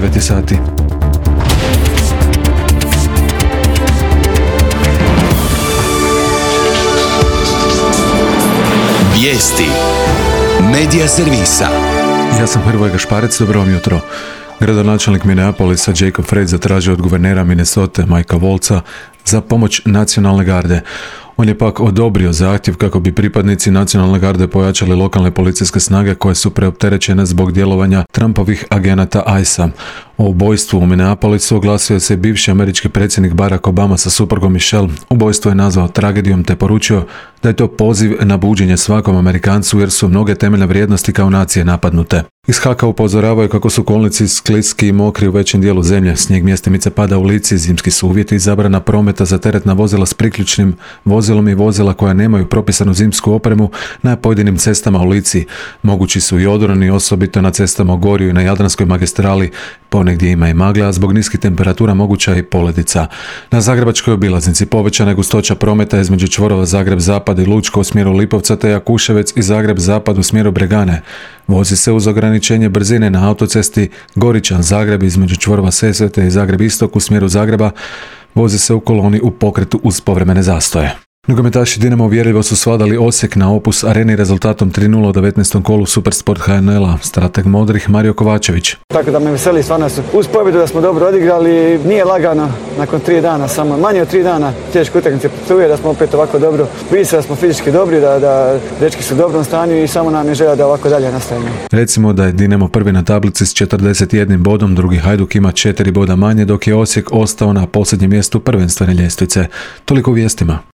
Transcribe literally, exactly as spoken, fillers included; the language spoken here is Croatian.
devet sati. Vijesti Medija servisa. Ja sam Hrvoje Gašparec, dobro vam jutro. Gradonačelnik Minneapolisa Jacob Frey zatražio od guvernera Minnesote Mikea Woltza za pomoć nacionalne garde. On je pak odobrio zahtjev kako bi pripadnici nacionalne garde pojačali lokalne policijske snage koje su preopterećene zbog djelovanja Trumpovih agenata I C E a. O ubojstvu u Minneapolisu oglasio se bivši američki predsjednik Barack Obama sa suprugom Michelle. Ubojstvo je nazvao tragedijom te poručio da je to poziv na buđenje svakom Amerikancu jer su mnoge temeljne vrijednosti kao nacije napadnute. Iz Haka upozoravaju kako su kolnici skliski i mokri u većem dijelu zemlje. Snijeg mjestimice pada u lici, zimski su uvjeti i zabrana prometa za teretna vozila s priključnim vozilom i vozila koja nemaju propisanu zimsku opremu na pojedinim cestama u Lici. Mogući su i odroni, osobito na cestama u Gorju i na Jadranskoj magistrali. Ponegdje ima i magla, a zbog niskih temperatura moguća i poledica. Na zagrebačkoj obilaznici povećana je gustoća prometa između čvorova Zagreb-Zapad i Lučko u smjeru Lipovca te Jakuševec i Zagreb-Zapad u smjeru Bregane. Vozi se uz ograničenje brzine na autocesti Goričan-Zagreb između čvorova Sesvete i Zagreb-Istok u smjeru Zagreba. Vozi se u koloni u pokretu uz povremene zastoje. Nogometaši Dinama uvjerljivo su svladali Osijek na Opus Areni rezultatom tri nula u devetnaestom kolu Supersport H N L-a. Strateg modrih Mario Kovačević. Tako da me veseli stvarno uz pobjedu da smo dobro odigrali. Nije lagano nakon tri dana, samo manje od tri dana teške utakmice protiv, da smo opet ovako dobro. Vidi se da smo fizički dobri, da, da dečki su u dobrom stanju i samo nam je želja da ovako dalje nastavimo. Recimo da je Dinamo prvi na tablici s četrdeset jednim bodom, drugi Hajduk ima četiri boda manje, dok je Osijek ostao na posljednjem mjestu prvenstvene ljestvice. Toliko u vijestima.